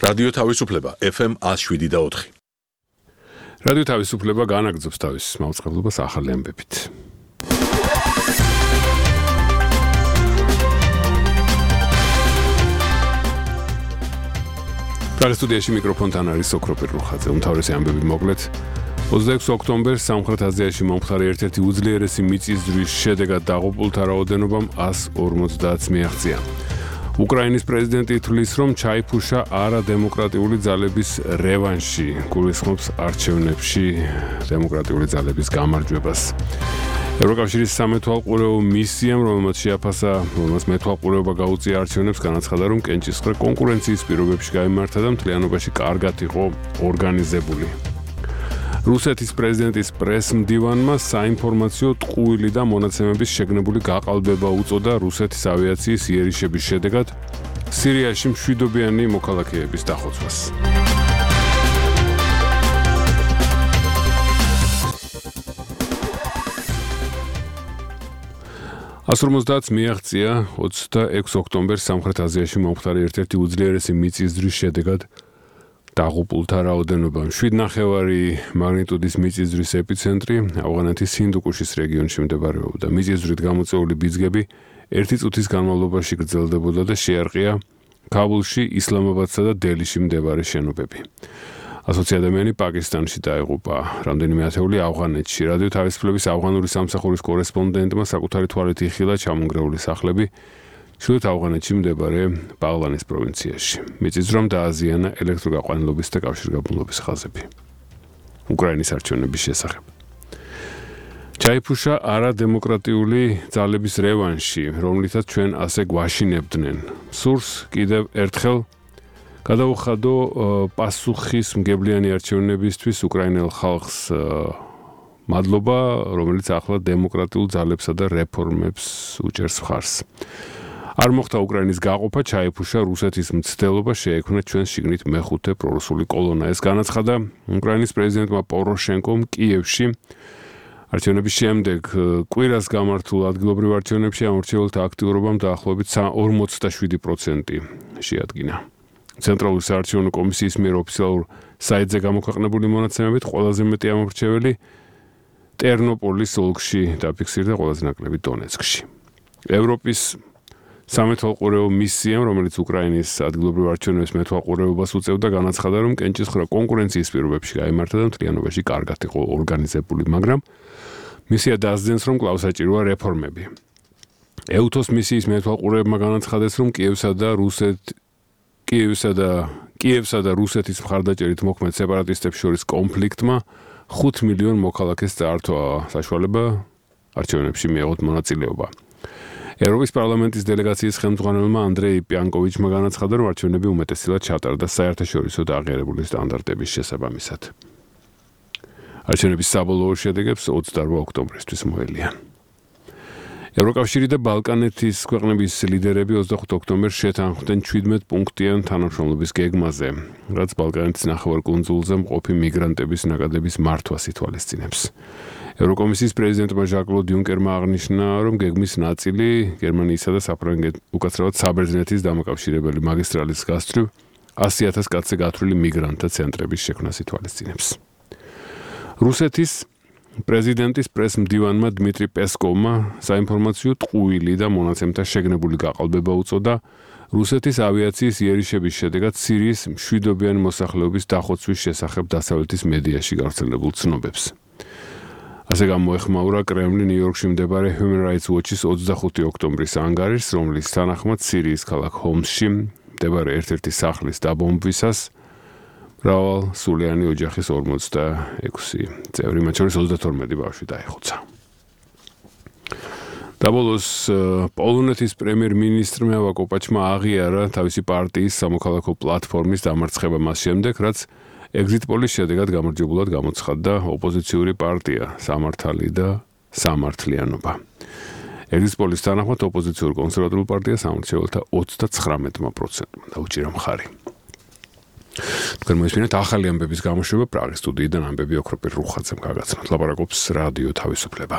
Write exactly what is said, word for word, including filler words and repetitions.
რადიო თავისუფლება ეფ ემ one oh seven და four. რადიო თავისუფლება განაგრძობს თავის მაუწყებლობას ახალი ამბებით. სტუდიაში მიკროფონთან არის ოქროპირ რუხაძე. უმთავრესი ამბები მოკლედ. ოცდაექვსი ოქტომბერს სამხრეთ აზიაში მომხდარი ერთ-ერთი უძლიერესი მიწისძვრის შედეგად დაღუპულთა რაოდენობამ one forty მიაღწია. უკრაინის პრეზიდენტი თვლის, რომ ჩაიფუშა არადემოკრატიული ძალების რევანში, გულისხმობს არჩევნებში დემოკრატიული ძალების გამარჯვებას. ევროკავშირის სამეთვალყურეო მისიამ, რომელმაც შეაფასა, რომელმაც მეთვალყურეობა გაუწია არჩევნებს, განაცხადა, რომ კენჭისყრა კონკურენციის პირობებში გაიმართა და მთლიანობაში კარგად იყო ორგანიზებული. რუსეთის პრეზიდენტის პრეს-მდივანმა საინფორმაციო ტყუილი და მონაცემების შეგნებული გაყალბება უწოდა რუსეთის ავიაციის იერიშების შედეგად სირიაში მშვიდობიანი მოქალაქეების დახოცვას. one forty მიაღწია ოცდაექვსი ოქტომბერს სამხრეთ აზიაში მომხდარი ერთ-ერთი უძლიერესი მიწისძვრის შედეგად დაღუპულთა რაოდენობა. seven ნახევარი მაგნიტუდის მიწისძვრის ეპიცენტრი ავღანეთის ჰინდუკუშის რეგიონში მდებარეობდა. მიწისძვრით გამოწვეული ბიძგები ერთი წუთის განმავლობაში გრძელდებოდა და შეარყია ქაბულში, ისლამაბადსა და დელიში მდებარე შენობები. ასოცი ადამიანი პაკისტანში დაიღუპა, რამდენიმე ათეული ავღანეთში. რადიო თავისუფლების ავღანური სამსახურის კორესპონდენტმა საკუთარი თვალით იხილა ჩამონგრეული სახლები ჩრდილოეთ ავღანეთში მდებარე ბაღლანის პროვინციაში. მიწისძვრამ დააზიანა ელექტროგაყვანილობის და კავშირგაბმულობის ხაზები. უკრაინის არჩევნების შესახებ. ჩაიფუშა არადემოკრატიული ძალების რევანში, რომლითაც ჩვენ ასე გვაშინებდნენ. სურს კიდევ ერთხელ გადაუხადო პასუხისმგებლიანი არჩევნებისთვის უკრაინელ ხალხს მადლობა, რომელიც ახლა დემოკრატიულ ძალებსა და რეფორმებს უჭერს მხარს. არ მოხდა უკრაინის გაყოფა, ჩაიფუშა რუსეთის მცდელობა, შეექმნა ჩვენს შიგნით მეხუთე პრორუსული კოლონა. ეს განაცხადა უკრაინის პრეზიდენტმა პოროშენკომ კიევში. არჩევნების შემდეგ კვირას გამართულ ადგილობრივ არჩევნებში ამორჩეულთა აქტიურობამ დაახლოებით ორმოცდაშვიდი პროცენტი შეადგინა. ცენტრალური საარჩევნო კომისიის მიერ ოფიციალურ საიტზე გამოქვეყნებული მონაცემებით ყველაზე მეტი ამორჩეველი ტერნოპოლის ოლქში დაფიქსირდა, ყველაზე ნაკლები დონეცკში. ევროპის სამეთვალყურეო მისიამ, რომელიც უკრაინის ადგილობრივ არჩევნებს მეთვალყურეობას უწევდა, განაცხადა, რომ კენჭისყრა კონკურენციის პირობებში გაიმართა და მთლიანობაში კარგად იყო ორგანიზებული, მაგრამ მისია დასძენს, რომ კვლავ საჭიროა რეფორმები. ეუთოს მისიის მეთვალყურეებმა განაცხადეს, რომ კიევსა და რუსეთ კიევსა და კიევსა და რუსეთის მხარდაჭერით მოქმედ სეპარატისტებს შორის კონფლიქტმა ხუთ მილიონ მოქალაქეს წაართვა საშუალება არჩევნებში მიეღოთ მონაწილეობა. ევროპის პარლამენტის დელეგაციის ხელმძღვანელმა ანდრეი პიანკოვიჩმა განაცხადა, რომ არჩევნები უმეტესწილად ჩატარდა საერთაშორისო და აღიარებული სტანდარტების შესაბამისად. არჩევნების საბოლოო შედეგებს ოცდაოთხ ოქტომბრისთვის მოელიან. ევროკავშირი და ბალკანეთის ქვეყნების ლიდერები ოცდახუთ ოქტომბერს შეთანხმდნენ შვიდმეტ პუნქტიან თანამშრომლობის გეგმაზე, რაც ბალკანეთის ნახევარკუნძულზე მყოფი მიგრანტების ნაკადების მართვას ითვალისწინებს. ევროკომისიის პრეზიდენტმა ჟან-კლოდ იუნკერმა აღნიშნა, რომ გეგმის ნაწილი გერმანიისა და საფრანგეთის, უკაცრავად საბერძნეთის დამაკავშირებელი მაგისტრალის გასწვრივ ასი ათას კაცზე გათვლილი მიგრანტთა ცენტრების შექმნას ითვალისწინებს. რუსეთის პრეზიდენტის პრეს-მდივანმა დმიტრი პესკოვმა საინფორმაციო ტყუილი და მონაცემთა შეგნებული გაყალბება უწოდა რუსეთის ავიაციის იერიშების შედეგად სირიის მშვიდობიანი მოსახლეობის დახოცვის შესახებ დასავლეთის მედიაში გავრცელებულ ცნობებს. ასე გამოეხმაურა კრემლი ნიუ-იორკში მდებარე Human Rights Watch-ის ოცდახუთი ოქტომბრის ანგარიშს, რომლის თანახმად სირიის ქალაქ ჰომსში მდებარე ერთ-ერთი სახლის დაბომბვისას მრავალსულიანი ოჯახის ორმოცდაექვსი წევრი, მათ შორის ოცდათორმეტი ბავშვი დაიხოცა. დაბოლოს პოლონეთის პრემიერ-მინისტრმა ავაკოპაჩმა აღიარა თავისი პარტიის სამოქალაქო პლატფორმის დამარცხება მას შემდეგ, რაც ეგზიტ პოლის შედეგად გამარჯვებულად გამოცხადდა ოპოზიციური პარტია სამართალი და სამართლიანობა. ეგზიტ პოლის თანახმად ოპოზიციურ კონსერვატიულ პარტიას ამორჩეულთა ოცდაცხრამეტ პროცენტმა დაუჭირა მხარი. თქვენ მოისმინეთ ახალი ამბების გამოშვება პრაღის სტუდიიდან ამბები ოქროპირ რუხაძემ გაგაცნოთ. ლაპარაკობს რადიო თავისუფლება.